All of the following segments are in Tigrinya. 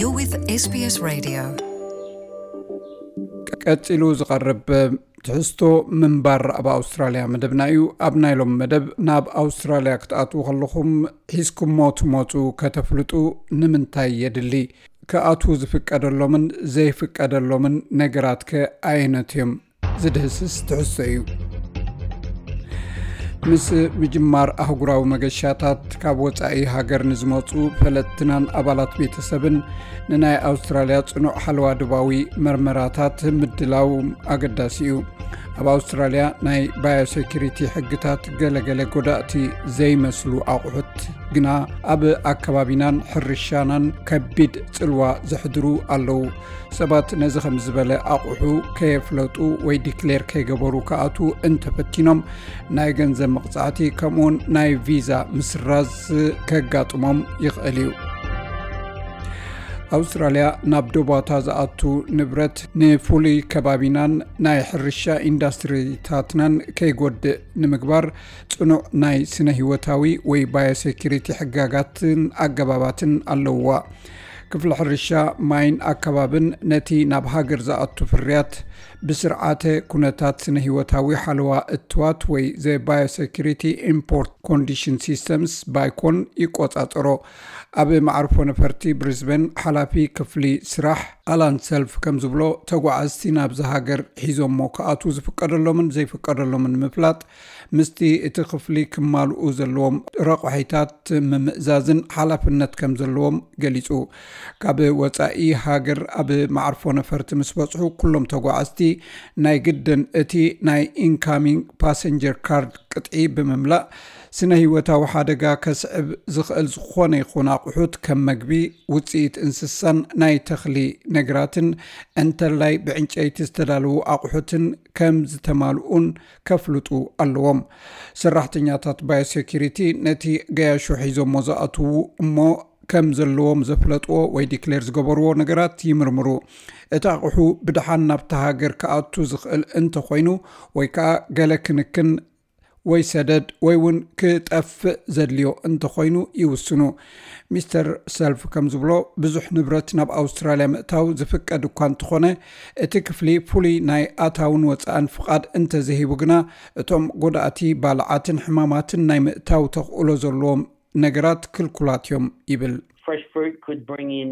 You're with SBS Radio. ቀጺሉ ዝቐርብ ትሕዝቶ ምንባር ኣብ ኣውስትራልያ መደብና እዩ። ኣብ ናይ ሎም መደብ ናብ ኣውስትራልያ ክትኣትዉ ከለኹም ሒዝኩሞ ትመጹ ከተፍልጡ ንምንታይ የድሊ? ክኣትዉ ዝፍቀደሎምን ዘይፍቀደሎምን ነገራት ከ ኣየነት እዮም? ዝድህስስ ትሕዝቶ እዩ። ምስ ምጅማር ኣህጉራዊ መገሻታት ካብ ወጻኢ ሃገር ንዝመጹ ፈለጥትናን ኣባላት ቤተሰብን ንናይ ኣውስትራልያ ጽኑዕ ሓለዋ ዶባዊ መርመራታት ምድላው ኣገዳሲ እዩ። ኣብ ኣውስትራልያ ናይ ባዮሴኩሪቲ ሕግታት ገለገለ ጎዳእቲ ዘይመስሉ ኣቑሑት ግና ኣብ ኣከባቢናን ሕርሻናን ከቢድ ጽልዋ ዘሕድሩ ኣለዉ። ሰባት ነዚ ከም ዝበለ ኣቑሑ ከየፍለጡ ወይ ዲክሌር ከይገበሩ ክኣትዉ እንተፈቲኖም ናይ ገንዘብ መቕጻዕቲ ከምኡውን ናይ ቪዛ ምስራዝ ከጋጥሞም ይኽእል እዩ። ኣውስትራልያ ናብ ዶባታ ዝኣቱ ንብረት ንፍሉይ ከባቢናን ናይ ሕርሻ ኢንዳስትሪታትናን ከይጎድእ ንምግባር ጽኑዕ ናይ ስነ ህይወታዊ ወይ ባዮሴኩሪቲ ሕጋጋትን ኣገባባትን ኣለውዋ። ክፍሊ ሕርሻ፣ ማይን ኣከባብን ነቲ ናብ ሃገር ዝኣቱ ፍርያት ብስርዓተ ኩነታት ስነ ህይወታዊ ሓለዋ እትዋት ወይ ዘ ባዮሴኩሪቲ ኢምፖርት ኮንዲሽን ሲስተምስ ባይኮን ይቆጻጸሮ። ኣብ መዓርፎ ነፈርቲ ብሪዝበን ሓላፊ ክፍሊ ስራሕ ኣላን ሰልፍ ከም ዝብሎ፣ ተጓዓዝቲ ናብዚ ሃገር ሒዞሞ ክኣትዉ ዝፍቀደሎምን ዘይፍቀደሎምን ምፍላጥ ምስቲ እቲ ክፍሊ ክማልኡ ዘለዎም ረቑሒታት ምምእዛዝን ሓላፍነት ከም ዘለዎም ገሊጹ። ካብ ወጻኢ ሃገር ኣብ መዓርፎ ነፈርቲ ምስ በጽሑ ኩሎም ተጓዓዝቲ ናይ ግድን እቲ ናይ ኢንካሚንግ ፓሰንጀር ካርድ ቅጥዒ ብምምላእ ስነ ህይወታዊ ሓደጋ ከስዕብ ዝኽእል ዝኾነ ይኹን ኣቑሑት ከም መግቢ፣ ውጽኢት እንስሳን ናይ ተኽሊ ነገራትን እንተላይ ብዕንጨይቲ ዝተዳለዉ ኣቑሑትን ከም ዝተማልኡን ከፍልጡ ኣለዎም። ሰራሕተኛታት ባዮሴኩሪቲ ነቲ ገያሾ ሒዞሞ ዝኣትዉ እሞ ከም ዘለዎም ዘፍለጥዎ ወይ ዲክሌር ዝገበርዎ ነገራት ይምርምሩ። እቲ ኣቑሑ ብድሓን ናብቲ ሃገር ክኣቱ ዝኽእል እንተኾይኑ ወይ ከዓ ገለ ክንክን ወይ ሰደድ ወይ እውን ክጠፍእ ዘድልዮ እንተኾይኑ ይውስኑ። ሚስተር ሰልፍ ከም ዝብሎ፣ ብዙሕ ንብረት ናብ ኣውስትራልያ ምእታው ዝፍቀድ እኳ እንተኾነ፣ እቲ ክፍሊ ፍሉይ ናይ ኣታውን ወፃእን ፍቓድ እንተዘይሂቡ ግና እቶም ጎዳእቲ ባልዓትን ሕማማትን ናይ ምእታው ተኽእሎ ዘለዎም ነገራት ክልኩላት እዮም ይብል። Fresh fruit could bring in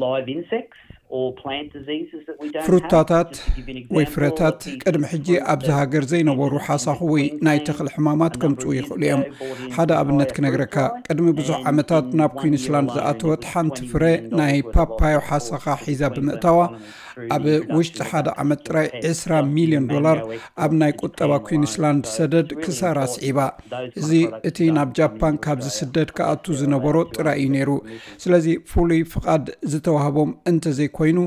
live insects or plant diseases that we don't ፍሩታታት have. Just to give you an ወይ example, ፍረታት a piece ቅድሚ of ሕጂ fruit ኣብዚ that ሃገር ዘይነበሩ ended up in ሓሳኹ ወይ Queensland ናይ ተኽሊ ሕማማት a ከምፅኡ number of years ይኽእሉ እዮም። ago brought in ሓደ ኣብነት by a ክነግረካ፣ fruit fly, ቅድሚ ብዙሕ and ዓመታት in ናብ one ኩዊንስላንድ year ዝኣተወት alone, ሓንቲ it was ፍረ twenty million ናይ dollars worth of ፓፓዮ crop ሓሰኻ to the ሒዛ Queensland ብምእታዋ economy through ኣብ the introduction ውሽጢ of ሓደ that ዓመት particular ጥራይ pest. ዕስራ So it's ሚልዮን been ዶላር no effort ኣብ ናይ to ቁጠባ expand ኩዊንስላንድ wildlife, so ሰደድ it's really ክሳራ important ስዒባ። those እዚ kind of products እቲ start ናብ to come ጃፓን into ካብ Australia. ዝስደድ ክኣቱ Unless they're ዝነበሮ allowed to ጥራይ እዩ offset ነይሩ። emissions. ስለዚ ፍሉይ ፍቓድ ዝተዋህቦም እንተዘይኮይኑ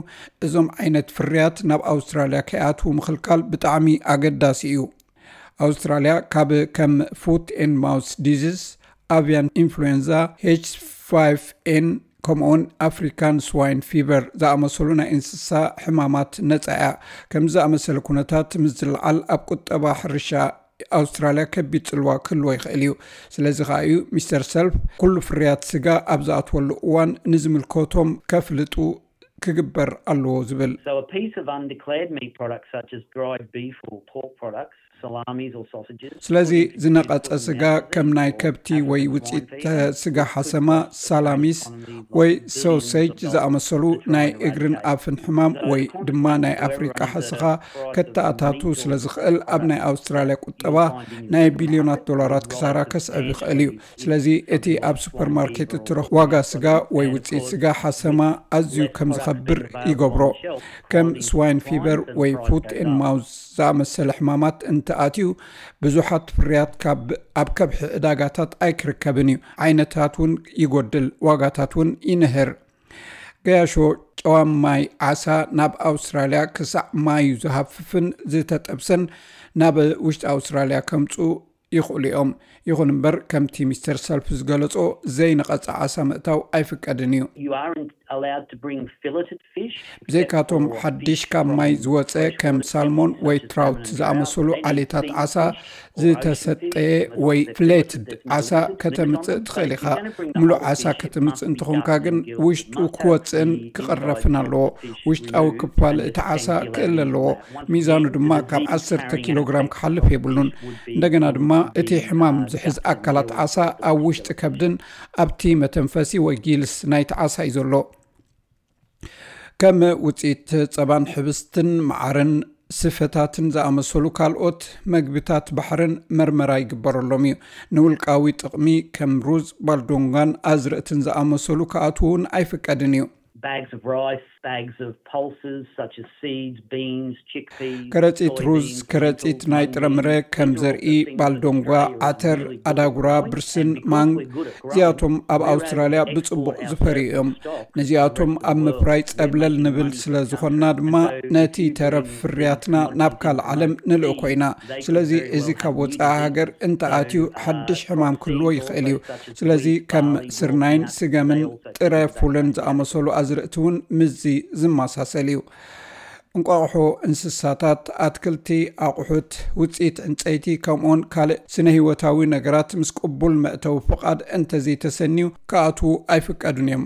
እዞም ዓይነት ፍርያት ናብ ኣውስትራልያ ከይኣትዉ ምኽልካል ብጣዕሚ ኣገዳሲ እዩ። ኣውስትራልያ ካብ ከም ፉት ኤን ማውስ ዲዚዝ፣ ኣቪያን ኢንፍሉዌንዛ፣ ኤች ፋይቭ ኤን ከምኡውን ኣፍሪካን ስዋይን ፊቨር ዝኣመሰሉ ናይ እንስሳ ሕማማት ነፃ እያ። ከምዚ ዝኣመሰለ ኩነታት ምስ ዝለዓል ኣብ ቁጠባ ሕርሻ ኣውስትራልያ ከቢድ ጽልዋ ክህልዎ ይኽእል እዩ። ስለዚ ከኣ እዩ ሚስተር ሰልፍ ኩሉ ፍርያት ስጋ ኣብ ዝኣትወሉ እዋን ንዝምልከቶም ከፍልጡ ክግበር ኣለዎ ዝብል። So a piece of undeclared meat products such as dried beef or pork products, salamis or sausages. ስለዚ ዝነቐጸ ስጋ ከም ናይ ከብቲ ወይ ውፅኢት ስጋ ሓሰማ፣ ሳላሚስ ወይ ሶሴጅ ዝኣመሰሉ ናይ እግርን ኣፍን ሕማም ወይ ድማ ናይ ኣፍሪቃ ሓሰኻ ከተኣታቱ ስለ ዝኽእል ኣብ ናይ ኣውስትራልያ ቁጠባ ናይ ቢልዮናት ዶላራት ክሳራ ከስዕብ ይኽእል እዩ። ስለዚ እቲ ኣብ ሱፐርማርኬት እትረኽ ዋጋ ስጋ ወይ ውፅኢት ስጋ ሓሰማ ኣዝዩ ከም ዝኸብር ይገብሮ። ከም ስዋይን ፊቨር ወይ ፉት ኤን ማውዝ ዝኣመሰለ ሕማማት እንተኣትዩ ብዙሓት ፍርያት ካብ ኣብ ከብሒ ዕዳጋታት ኣይክርከብን እዩ። ዓይነታት እውን ይጎድል፣ ዋጋታት እውን ይንህር። ገያሾ ጨዋም ማይ ዓሳ ናብ ኣውስትራልያ ክሳዕ ማዩ ዝሃፍፍን ዝተጠብሰን ናብ ውሽጢ ኣውስትራልያ ከምፁ ይኽእሉ እዮም። ይኹን እምበር፣ ከምቲ ሚስተር ሰልፍ ዝገለጾ፣ ዘይነቐጸ ዓሳ ምእታው ኣይፍቀድን እዩ። You aren't allowed to bring filleted fish. ብዘይካቶም ሓድሽ ካብ ማይ ዝወፀ ከም ሳልሞን ወይ ትራውት ዝኣመሰሉ ዓሌታት ዓሳ ዝተሰጠየ ወይ ፍሌትድ ዓሳ ከተምፅእ ትኽእል ኢኻ። ምሉእ ዓሳ ከተምፅእ እንተኾንካ ግን ውሽጡ ክወፅእን ክቕረፍን ኣለዎ። ውሽጣዊ ክፋል እቲ ዓሳ ክእል ኣለዎ። ሚዛኑ ድማ ካብ ዓሰርተ ኪሎ ግራም ክሓልፍ የብሉን። እንደገና ድማ እቲ ሕማም ዝሕዝ ኣካላት ዓሳ ኣብ ውሽጢ ከብድን ኣብቲ መተንፈሲ ወይ ጊልስ ናይቲ ዓሳ እዩ ዘሎ። ከም ውፅኢት ጸባን ሕብስትን መዓርን ስፈታትን ዝኣመሰሉ ካልኦት መግብታት ባሕርን መርመራ ይግበረሎም እዩ። ንውልቃዊ ጥቕሚ ከም ሩዝ፣ ባልዶንጋን ኣዝርእትን ዝኣመሰሉ ክኣትዉ እውን ኣይፍቀድን እዩ። Bags of rice, bags of pulses such as seeds, beans, chickpeas. ከረጺት ሩዝ፣ ከረጺት ናይ ጥረምረ ከም ዘርኢ፣ ባልዶንጓ፣ ዓተር፣ ኣዳጉራ፣ ብርስን፣ ማንግ፣ እዚኣቶም ኣብ ኣውስትራልያ ብጽቡቕ ዝፈርዩ እዮም። ነዚኣቶም ኣብ ምፍራይ ጸብለል ንብል ስለ ዝኾንና ድማ፣ ነቲ ተረፍ ፍርያትና ናብ ካልእ ዓለም ንልእኮ ኢና። ስለዚ እዚ ካብ ወጻኢ ሃገር እንተኣትዩ ሓድሽ ሕማም ክህልዎ ይኽእል እዩ። ስለዚ ከም ስርናይን ስገምን ጥረ ፉልን ዝኣመሰሉ ኣዝርእቲ እውን ምስዚ ዝመሳሰል እዩ። እንቋቑሖ፣ እንስሳታት፣ ኣትክልቲ፣ ኣቑሑት፣ ውፅኢት ዕንፀይቲ፣ ከምኡውን ካልእ ስነ ህይወታዊ ነገራት ምስ ቅቡል መእተዊ ፍቓድ እንተዘይተሰንዩ ክኣትዉ ኣይፍቀዱን እዮም።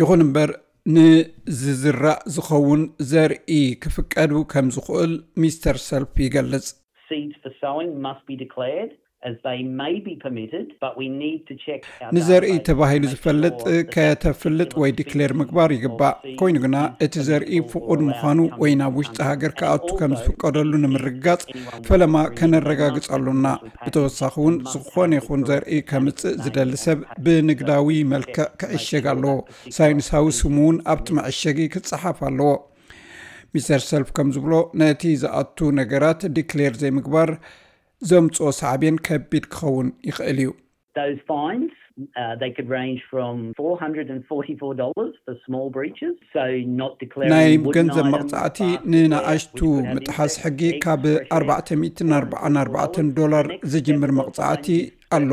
ይኹን እምበር፣ ንዝዝራእ ዝኸውን ዘርኢ ክፍቀዱ ከም ዝኽእል ሚስተር ሰልፍ ይገልጽ። Seeds for sowing must be declared as they may be permitted, but we need to check our ንዘርኢ database ተባሂሉ to make ዝፈልጥ sure that ከተፍልጥ ወይ ዲክሌር ምግባር ይግባእ። ኮይኑ ግና እቲ ዘርኢ ፍቑድ ምዃኑ ወይ ናብ ውሽጢ ሃገር ክኣቱ ከም ዝፍቀደሉ ንምርግጋጽ ፈለማ ከነረጋግጽ ኣሎና። ብተወሳኺ እውን ዝኾነ ይኹን ዘርኢ ከምጽእ ዝደሊ ሰብ ብንግዳዊ መልክዕ ክዕሸግ ኣለዎ። ሳይንሳዊ ስሙ እውን ኣብቲ መዐሸጊ ክጸሓፍ ኣለዎ። ሚስተር ሰልፍ ከም ዝብሎ፣ ነቲ ዝኣቱ ነገራት ዲክሌር ዘይምግባር ዘምጽኦ ሳዕቤን ከቢድ ክኸውን ይኽእል እዩ። Those fines, uh, they could range from four hundred and forty-four dollars for small breaches. So not declaring ናይ wooden ገንዘብ items, መቕጻዕቲ baskets, ንንኣሽቱ which could have ምጥሓስ insects, ሕጊ eggs, ካብ fresh eggs, ኣርባዕተ ሚእትን ኣርባዓን ኣርባዕተን ዶላር ዝጅምር መቕጻዕቲ ኣሎ።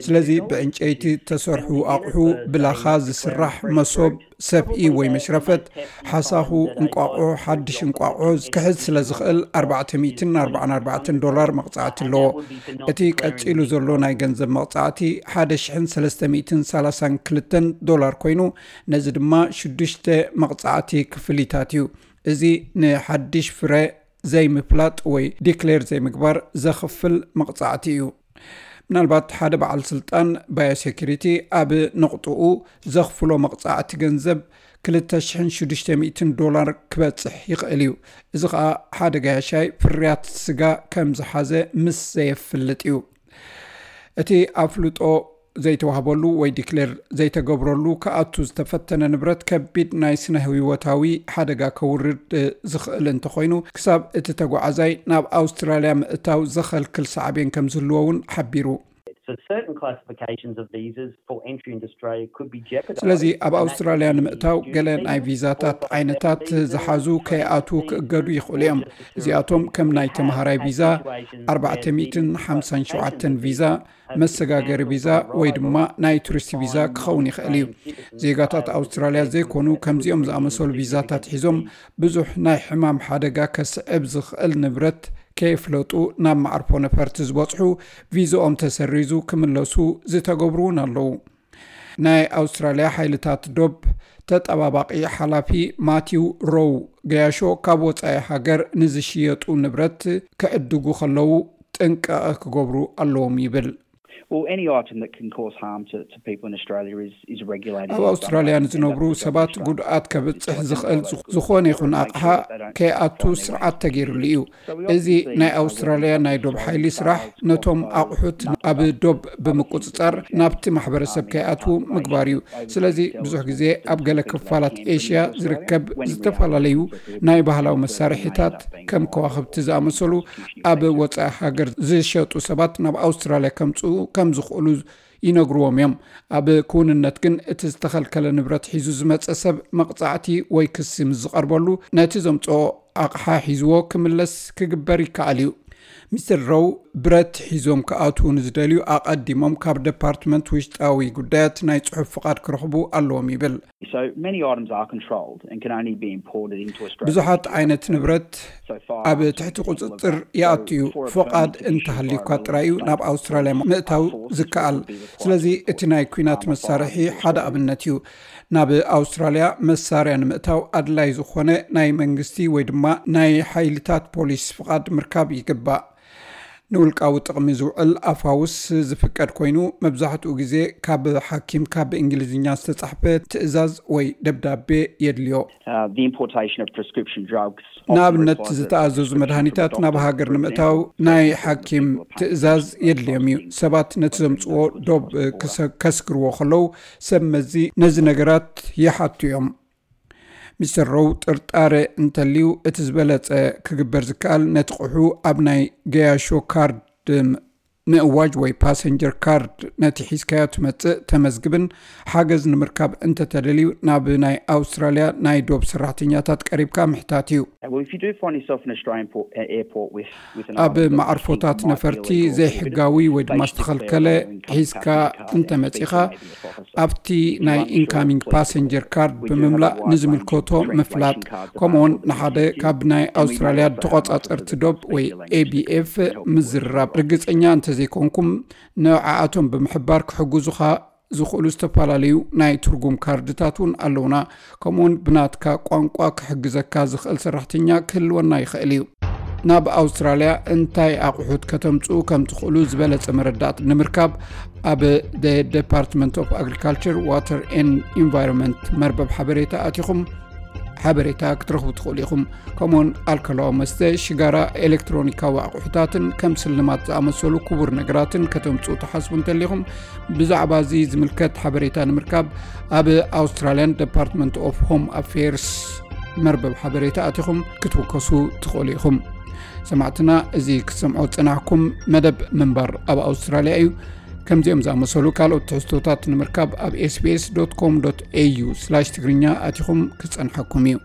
ስለዚ ብዕንጨይቲ ዝተሰርሑ ኣቑሑ፣ ብላኻ ዝስራሕ መሶብ፣ ሰፍኢ ወይ መሽረፈት፣ ሓሳኹ፣ እንቋቑሖ፣ ሓድሽ እንቋቑሖ ክሕዝ ስለ ዝኽእል ኣርባዕተ ሚእትን ኣርባዓን ኣርባዕተን ዶላር መቕጻዕቲ ኣለዎ። እቲ ቀጺሉ ዘሎ ናይ ገንዘብ መቕጻዕቲ ሓደ ሽሕን ሰለስተ ሚእትን ሰላሳን ክልተን ዶላር ኮይኑ፣ ነዚ ድማ ሽዱሽተ መቕጻዕቲ ክፍሊታት እዩ። እዚ ንሓድሽ ፍረ ዘይምፍላጥ ወይ ዲክሌር ዘይምግባር ዘኽፍል መቕጻዕቲ እዩ። ምናልባት ሓደ በዓል ስልጣን ባዮሴኩሪቲ ኣብ ነቑጥኡ ዘኽፍሎ መቕጻዕቲ ገንዘብ ክልተ ሽሕን ሽዱሽተ ሚእትን ዶላር ክበጽሕ ይኽእል እዩ። እዚ ኸኣ ሓደ ገያሻይ ፍርያት ስጋ ከም ዝሓዘ ምስ ዘየፍልጥ እዩ። እቲ ኣፍልጦ ዘይተዋህበሉ ወይ ዲክሌር ዘይተገብረሉ ክኣቱ ዝተፈተነ ንብረት ከቢድ ናይ ስነ ህይወታዊ ሓደጋ ከውርድ ዝኽእል እንተኾይኑ፣ ክሳብ እቲ ተጓዓዛይ ናብ ኣውስትራልያ ምእታው ዘኸልክል ሳዕቤን ከም ዝህልዎ እውን ሓቢሩ። So certain classifications of visas for entry into Australia could be jeopardised. ስለዚ ኣብ ኣውስትራልያ ንምእታው ገለ ናይ ቪዛታት ዓይነታት ዝሓዙ ከይኣትዉ ክእገዱ ይኽእሉ እዮም። እዚኣቶም ከም ናይ ተምሃራይ ቪዛ ኣርባዕተ ሚእትን ሓምሳን ሸውዓተን ቪዛ፣ መሰጋገሪ ቪዛ ወይ ድማ ናይ ቱሪስት ቪዛ ክኸውን ይኽእል እዩ። ዜጋታት ኣውስትራልያ ዘይኮኑ ከምዚኦም ዝኣመሰሉ ቪዛታት ሒዞም ብዙሕ ናይ ሕማም ሓደጋ ከስዕብ ዝኽእል ንብረት ከየፍለጡ ናብ መዓርፎ ነፈርቲ ዝበጽሑ ቪዛኦም ተሰሪዙ ክምለሱ ዝተገብሩ እውን ኣለዉ። ናይ ኣውስትራልያ ሓይልታት ዶብ ተጠባባቒ ሓላፊ ማቲው ሮው ገያሾ ካብ ወጻኢ ሃገር ንዝሽየጡ ንብረት ክዕድጉ ከለዉ ጥንቃቐ ክገብሩ ኣለዎም ይብል። Well, any item that can cause harm to, to people in Australia is, is regulated. ኣብ ኣውስትራልያ ንዝነብሩ ሰባት ጉድኣት ከብጽሕ ዝኽእል ዝኾነ ይኹን ኣቕሓ ከይኣቱ ስርዓት ተገይሩሉ እዩ። እዚ ናይ ኣውስትራልያ ናይ ዶብ ሓይሊ ስራሕ ነቶም ኣቑሑት ኣብ ዶብ ብምቁጽጻር ናብቲ ማሕበረሰብ ከይኣትዉ ምግባር እዩ። ስለዚ ብዙሕ ግዜ ኣብ ገለ ክፋላት ኤሽያ ዝርከብ ዝተፈላለዩ ናይ ባህላዊ መሳርሒታት ከም ከዋኽብቲ ዝኣመሰሉ ኣብ ወጻኢ ሃገር ዝሸጡ ሰባት ናብ ኣውስትራልያ ከምጽኡ ከም ዝኽእሉ ይነግርዎም እዮም። ኣብ ክውንነት ግን እቲ ዝተኸልከለ ንብረት ሒዙ ዝመጸ ሰብ መቕጻዕቲ ወይ ክሲ ምስ ዝቐርበሉ ነቲ ዘምጽኦ ኣቕሓ ሒዝዎ ክምለስ ክግበር ይከኣል እዩ። ሚስተር ሮው፣ ብረት ሒዞም ክኣትዉ ንዝደልዩ ኣቐዲሞም ካብ ደፓርትመንት ውሽጣዊ ጉዳያት ናይ ጽሑፍ ፍቓድ ክረኽቡ ኣለዎም ይብል። So many items are controlled and can only be imported into Australia. ብዙሓት ዓይነት ንብረት ኣብ ትሕቲ ቁጽጽር ይኣቱ እዩ። ፍቓድ እንተሃልዩካ ጥራይ እዩ ናብ ኣውስትራልያ ምእታው ዝከኣል። ስለዚ እቲ ናይ ኲናት መሳርሒ ሓደ ኣብነት እዩ። ናብ ኣውስትራልያ መሳርያ ንምእታው ኣድላይ ዝኾነ ናይ መንግስቲ ወይ ድማ ናይ ሓይልታት ፖሊስ ፍቓድ ምርካብ ይግባእ። ንውልቃዊ ጥቕሚ ዝውዕል ኣፋውስ ዝፍቀድ ኮይኑ፣ መብዛሕትኡ ግዜ ካብ ሓኪም ካብ ብእንግሊዝኛ ዝተጻሕፈ ትእዛዝ ወይ ደብዳቤ የድልዮ። Uh, the importation of prescription drugs. ንኣብነት፣ ዝተኣዘዙ መድሃኒታት ናብ ሃገር ንምእታው ናይ ሓኪም ትእዛዝ የድልዮም እዩ። ሰባት ነቲ ዘምጽዎ ዶብ ክሰ- ከስግርዎ ከለዉ፣ ሰብ መዚ ነዚ ነገራት ይሓቱ እዮም። ሚስተር ሮው፣ ጥርጣረ እንተልዩ፣ እቲ ዝበለጸ ክግበር ዝከኣል ነቲ ቁሑ ኣብ ናይ ገያሾ ካርድ ምእዋጅ ወይ ፓሰንጀር ካርድ፣ ነቲ ሒዝካዮ ትመጽእ ተመዝግብን ሓገዝ ንምርካብ እንተተደልዩ ናብ ናይ ኣውስትራልያ ናይ ዶብ ሰራሕተኛታት ቀሪብካ ምሕታት እዩ። Well, if you do find yourself in an Australian port, uh, airport with, with an ኣብ መዓርፎታት ነፈርቲ ዘይሕጋዊ ወይ ድማ ዝተኸልከለ ሒዝካ እንተመጺኻ፣ ኣብቲ ናይ ኢንካሚንግ ፓሰንጀር ካርድ ብምምላእ ንዝምልከቶ ምፍላጥ፣ ከምኡውን ንሓደ ካብ ናይ ኣውስትራልያ ተቆጻጸርቲ ዶብ ወይ ኤ ቢ ኤፍ ምዝርራብ። ርግጸኛ እንተዘይኮንኩም፣ ንዓኣቶም ብምሕባር ክሕግዙኻ ዝኽእሉ ዝተፈላለዩ ናይ ትርጉም ካርድታት እውን ኣለውና። ከምኡውን ብናትካ ቋንቋ ክሕግዘካ ዝኽእል ሰራሕተኛ ክህልወና ይኽእል እዩ። ናብ ኣውስትራልያ እንታይ ኣቑሑት ከተምጽኡ ከም ትኽእሉ ዝበለጸ መረዳእታ ንምርካብ፣ ኣብ ደፓርትመንት ኦፍ ኣግሪካልቸር ዋተር ኤንድ ኢንቫይሮንመንት መርበብ ሓበሬታ ኣቲኹም ሓበሬታ ክትረኽቡ ትኽእሉ ኢኹም። ከምኡውን ኣልኮላዊ መስተ፣ ሽጋራ፣ ኤሌክትሮኒካዊ ኣቑሑታትን ከም ስልማት ዝኣመሰሉ ክቡር ነገራትን ከተምጽኡ ትሓስቡ እንተሊኹም፣ ብዛዕባ እዚ ዝምልከት ሓበሬታ ንምርካብ ኣብ ኣውስትራልያን ደፓርትመንት ኦፍ ሆም ኣፌርስ መርበብ ሓበሬታ ኣቲኹም ክትውከሱ ትኽእሉ ኢኹም። ሰማዕትና፣ እዚ ክትሰምዖ ዝጸናሕኩም መደብ ምንባር ኣብ ኣውስትራልያ እዩ። ከምዚኦም ዝኣመሰሉ ካልኦት ትሕዝቶታት ንምርካብ ኣብ ኤስቢኤስ ዶት ኮም ዶት ኤዩ ስላሽ ትግርኛ ኣቲኹም ክጸንሓኩም እዩ።